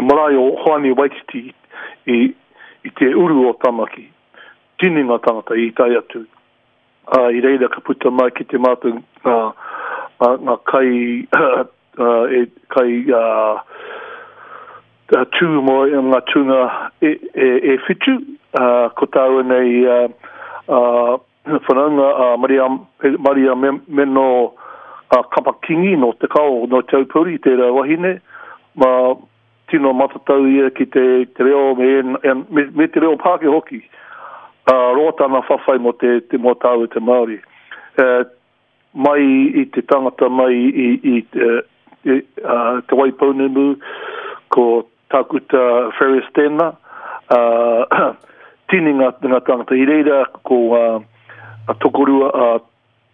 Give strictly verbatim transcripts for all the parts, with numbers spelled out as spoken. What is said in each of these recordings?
te marae o Hoani Waititi i, i te uru o Tamaki. Tini ngā tangata i tae atu. Uh, i reira ka puta mai ki te mātou ngā, ngā, ngā kai, uh, e, kai uh, tū mō ngā tūnga e, e, e whitu. Uh, ko tāua nei uh, uh, whanaunga uh, Maria, Maria Meno uh, Kapakingi no te kao, no Te Aupōuri, tērā wahine. Ma, tino matatau ia ki te, te reo me, me, me te reo Pākehā hoki. Uh, roa tana whawhai mō te, te mō tāua te Māori. Uh, mai i te tangata mai i, i, i, i uh, Te Waipounamu, ko Tākuta Ferris tēnā, uh, tini ngā, ngā tangata. I reira ko uh, a tokorua uh,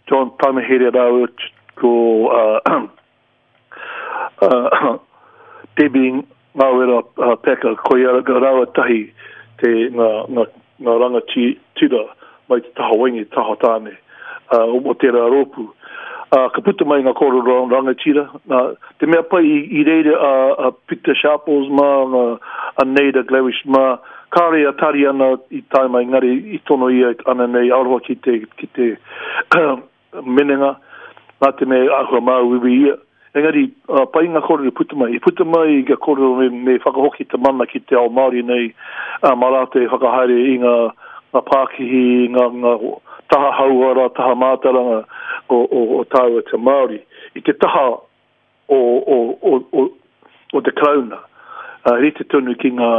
John Tamihere rāua ko uh, uh, Debbie Ngawera uh, Packer, ko ia rāua tahi te ngā, ngā, ngā rangatira mai te taha wahine, taha tāne, uh, o tērā rōpū. Uh, ka puta mai ngā kōrero rangatira. Uh, te mea pai i, i reira a, a Peter Sharples mā, a, a Naida Glavish mā, kāre a Tariana i tae mai ngari i tono ia ana nei aroha ki te, ki te menenga, nā te mea āhua māuiui ia. Engari, uh, pai ngā kōrero puta mai. I puta mai ngā kōrero me, me whakahoki te mana ki te ao Māori nei, uh, mā rātou e whakahaere i ngā, ngā pākihi, ngā, ngā taha hauora, taha mātauranga o, o, o tāua te Māori. I te taha o, o, o, o, o te Karauna, uh, rite tonu ki ngā,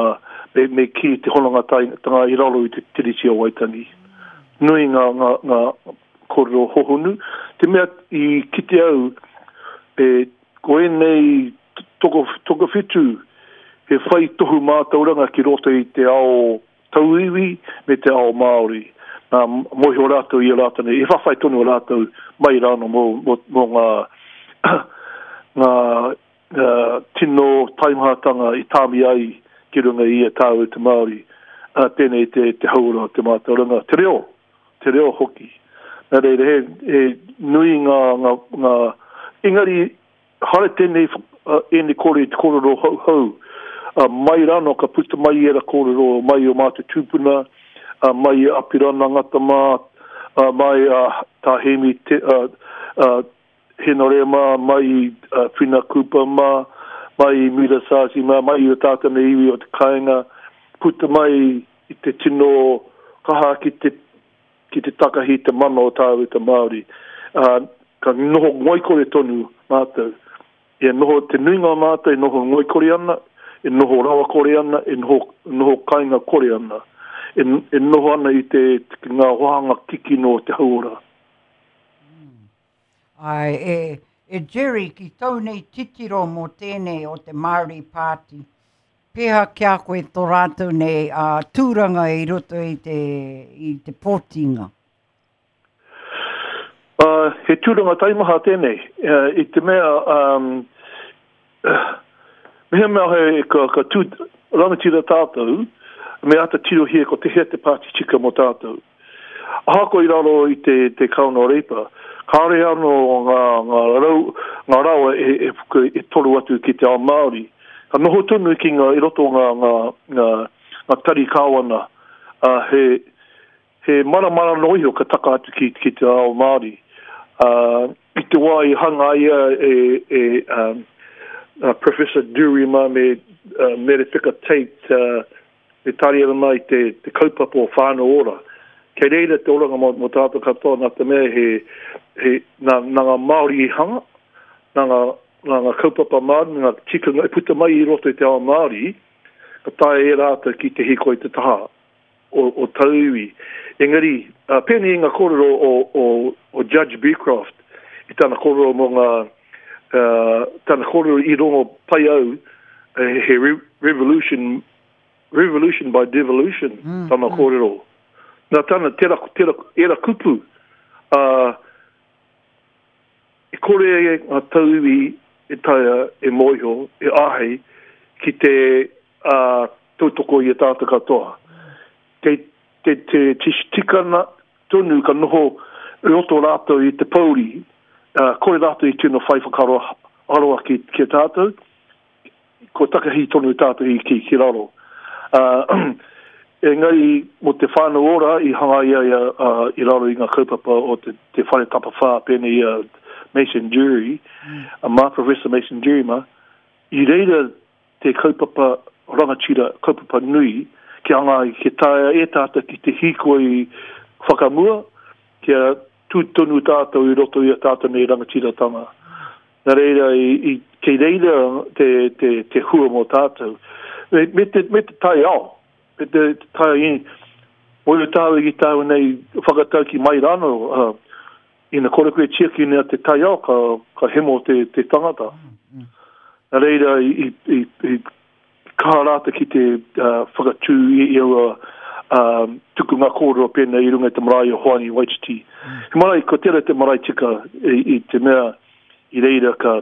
me, me ki te hononga tanga i raro i te Tiriti o Waitangi. Nui ngā, ngā, ngā kōrero hohonu. Te mea i kite au, e, ko ēnei toko, tokowhitu he whai tohu mātauranga ki roto i te ao tauiwi me te ao Māori. Nā, mōhio rātou i a rātou nei, e whawhai tonu rātou mai rāno mō, mō, mō ngā, ngā uh, tino taimahatanga i tāmi ai ki runga i a tāua te Māori. Uh, tēnei te, te hauora te mātauranga, te reo, te reo hoki. Nā reira, he, he nui ngā, ngā, ngā engari, hare tēnei uh, ēnei kore te kōrero hou hou. Uh, mai rāno ka puta mai era kōrero mai o mātou tūpuna, uh, mai Apirana Ngata mā, uh, mai uh, tā Hemi te, uh, uh, Henore mā, mai uh, Whina Cooper mā, mai Mira Szaszy mā, mai o tātou nei iwi o te kāinga, puta mai i te tino kaha ki te, ki te takahi te mana o tāua te Māori. Uh, ka noho ngoikore tonu mātou. E noho te nuinga o mātou e noho ngoikore ana, e noho rawakore ana, e noho, noho kainga kore ana. E, e noho ana i te, te ngā wāhanga kikino o te hauora. Mm. Ai, e, e Jerry, ki tau nei titiro mō tēnei o te Māori Party, pēhea ki a koe tō rātou nei uh, tūranga i roto i te, i te pōtinga? Uh, he tūranga taimaha tēnei. Uh, i te mea, um, uh, mehemea he ka, ka tū rangatira tātou, me ata tirohia ko te hea te pāti tika mō tātou. Ahakoa i raro i te, te Kāwana o Reipa, kāore anō ngā, ngā, rau, ngā rawa e, e, e toro atu ki te ao Māori. Ka noho tonu ki ngā, i roto ngā, ngā, ngā, ngā tari kāwana, uh, he, he maramara no iho ka taka atu ki, ki te ao Māori. Uh, i te wā i hangaia e, e um, uh, Professor Durie mā me uh, Merepeka Tate uh, me Tariana mā i te, te kaupapa o Whānau Ora. Kei reira te oranga mō, mō tātou katoa nā te mea he, he, nā, nā ngā Māori i hanga, nā ngā, nā ngā kaupapa Māori, nā ngā tikanga e puta mai i roto i te ao Māori, ka taea e rātou ki te hīkoi te taha o, o tauiwi. Engari, uh, pēnei i ngā kōrero o, o, o Judge Becroft, i tana kōrero mō ngā, uh, tana kōrero i rongo pai au, he re revolution, revolution by devolution, mm, tana mm. kōrero. Nā tana, tera, tera, era kupu, uh, e kore ngā tauiwi e taea e mōhio, e āhei, ki te uh, tautoko i a tātou katoa. Te, te, te, te tikana tonu ka noho roto rātou i te pouri, uh, kore rātou i tino whai whakaaro aroa ki, ki a tātou, ko takahi tonu tātou i ki, ki raro. Uh, engari mo te whānau ora i hanga ia ia uh, i raro i ngā kaupapa o te, te whare tapawhā pēnei ia Mason Durie, mm. a mā Professor Mason Durie ma, i reira te kaupapa rangatira, kaupapa nui, ki hanga ki taea e tātou ki te hīkoi whakamua, kia tū tonu tātou i roto i a tātou nei rangatiratanga. Nā reira, i, i, kei reira te, te, te hua mō tātou. Me, me, te, me te taiao, me te, te tai i, mō i tāu i tāu nei whakatau ki mai rāno, uh, ina kore koe tiaki nea te taiao, ka, ka hemo te, te tangata. Mm, mm. Nā reira, i, i, i, i kaha rāta ki te uh, whakatū i, i aua um, tuku ngā kōrero pēnei i runga i te marae o Hoani Waititi. Mm. He marae, ko tērā te marae tika i, i te mea i reira ka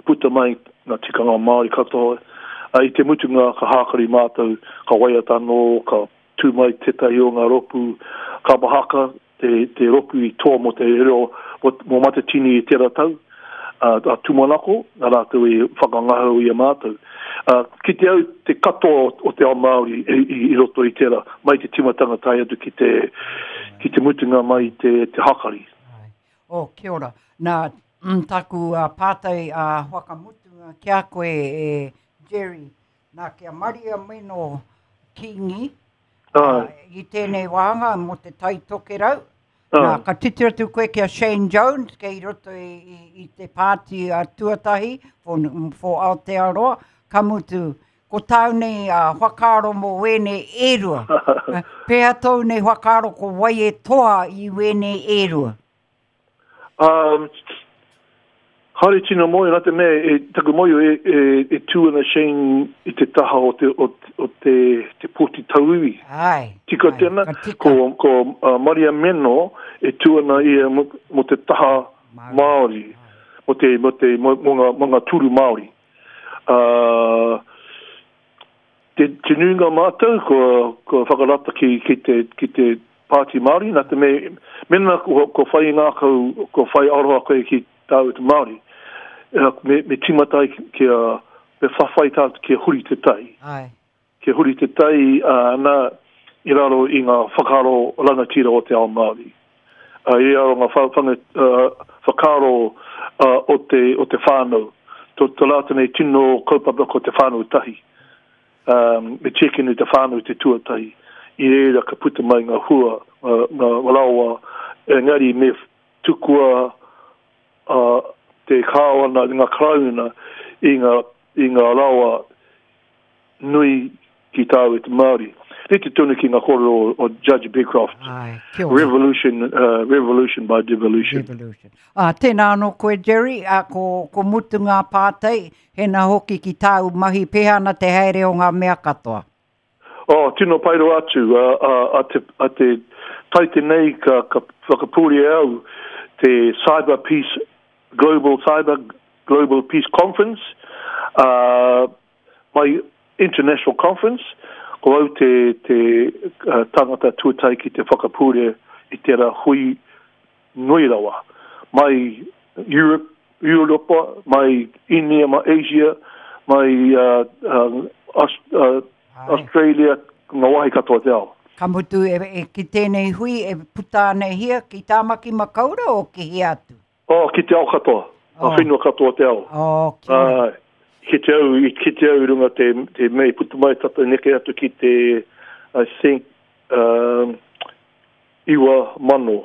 puta mai ngā tikanga Māori katoa. Uh, I te mutunga ka hākari mātou, ka waiata anō, ka tū mai tētahi o ngā ropu, ka mahaka te, te ropu i toa mō te reo, mō, mō Matatini i tērā tau, uh, a tūmanako, nā rātou i whakangahau i a mātou. Uh, ki te au te katoa o te ao Māori i, i, i roto i tērā, mai te timatanga tae atu ki te, ki te mutunga mai te, te hakari. Oh, kia ora. Nā, mm, taku uh, pātai uh, whakamutunga kia koe e Jerry, nā kia Maria Meno Kingi, uh, i tēnei wānga mō te Tai Tokerau. Nā, ka titiro atu koe kia Shane Jones, kei roto i, i, i te pāti uh, tuatahi for, for Aotearoa, ka mutu, ko tāu nei uh, whakaaro mō wēnei e rua. Pēhea tōu nei whakaaro ko wai e toa i wēnei e rua? Um, Haere tino moe, nā te mea, e, taku moe e, e, e tū ana Shane i te taha o te, o, o te, te pōti tauiwi. Ai, tika ai, tēnā, ka tika. Ko, ko uh, Maria Meno e tū ana ia mo, mo te taha Māori, mo te, mo te, mo, mo ngā, mo ngā tūru Māori. Uh, te, te nuinga mātou ko, ko whakarata ki, ki te, ki te pāti Māori, nā te mea, mena ko, ko whai ngākau, ko whai aroha koe ki tāu te Māori, me, me timatai kia, me whawhai tātou kia huri te tai. Ai. Kia huri te tai uh, nā i raro i ngā whakaaro rangatira o te ao Māori. Uh, I raro ngā wha, uh, whakaaro uh, o, te, o te whānau. Tō, tō rātou nei tino kaupapa ko te whānau tahi. Um, me tiekini te whānau te tuatahi. I reira ka puta mai ngā hua, ngā, ngā rawa, engari me tukua uh, te kāwana, ngā karauna i ngā, i ngā rawa nui ki tāu e te Māori. Rite tonu ki ngā kōrero o, o Judge Beecroft. Ai, kia ora. Revolution, uh, revolution by devolution. Devolution. Ah, tēnā anō koe, Jerry, ah, ko, ko mutu ngā pātai, hena hoki ki tāu mahi pēhea ana te haere o ngā mea katoa. Oh, tino pairo atu, uh, uh, a te, a te taite nei ka, ka whakapūri au te Cyber Peace, Global Cyber Global Peace Conference, uh, my international conference, ko au te, te uh, tangata tuatai ki te whakapūre i tērā hui nui rawa. Mai Europe, Europa, mai India, mai Asia, mai uh, uh, Aus, uh, Australia, ngā wahi katoa te ao. Ka mutu e, e ki tēnei hui e puta ana hia ki Tāmaki Makaurau o ki hea atu? Oh, ki te ao katoa. Oh. A whenua katoa te ao. Oh, kia ora. Uh, ki te au, i ki te au i runga te, te mei puta mai tata neke atu ki te, I think, um, iwa mano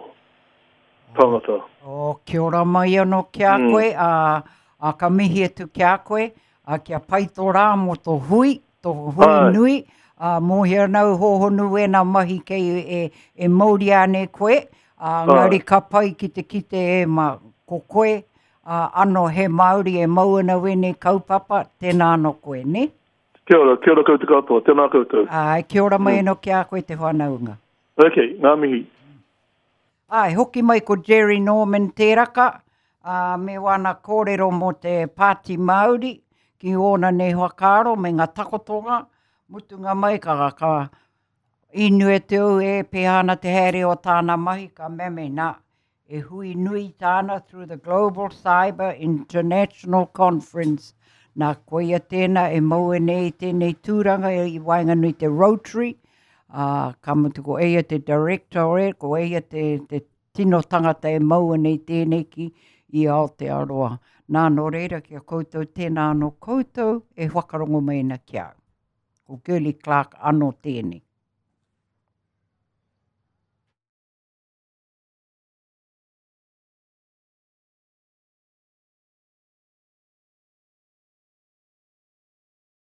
tangata. Oh, kia ora mai anō ki a Mm. koe, a, a ka mihi atu ki a koe, a kia pai tō rā mō tō hui, tō hui Ai. nui, a mōhio nau hohonu wēnā mahi kei e, e mauria ane koe, a Ai. ngari ka pai ki te kite e ma ko koe, a ano he Māori e mau ana wēnei kaupapa, tēnā anō koe, ne? Kia ora, kia ora koutou katoa, tēnā koutou. Ai, kia ora mai Mm. anō ki a koe te whanaunga. Ok, ngā mihi. Ai, hoki mai ko Jerry Norman tēraka, a, me wana kōrero mō te Pāti Māori, ki ōna nei whakaaro me ngā takotonga, mutunga mai ka, ka inue te au e pēhea ana te haere o tāna mahi, ka meme nā, e hui nui tāna through the Global Cyber International Conference. Nā, koia tēnā e mau nei tēnei tūranga i waenganui te Rotary, uh, ka mutu ko eia te director e, ko eia te, te tino tangata e mau nei tēnei ki i Aotearoa. Nā, nō reira ki a koutou tēnā anō koutou e whakarongo mai ana ki au. Ko Girlie Clarke anō tēnei.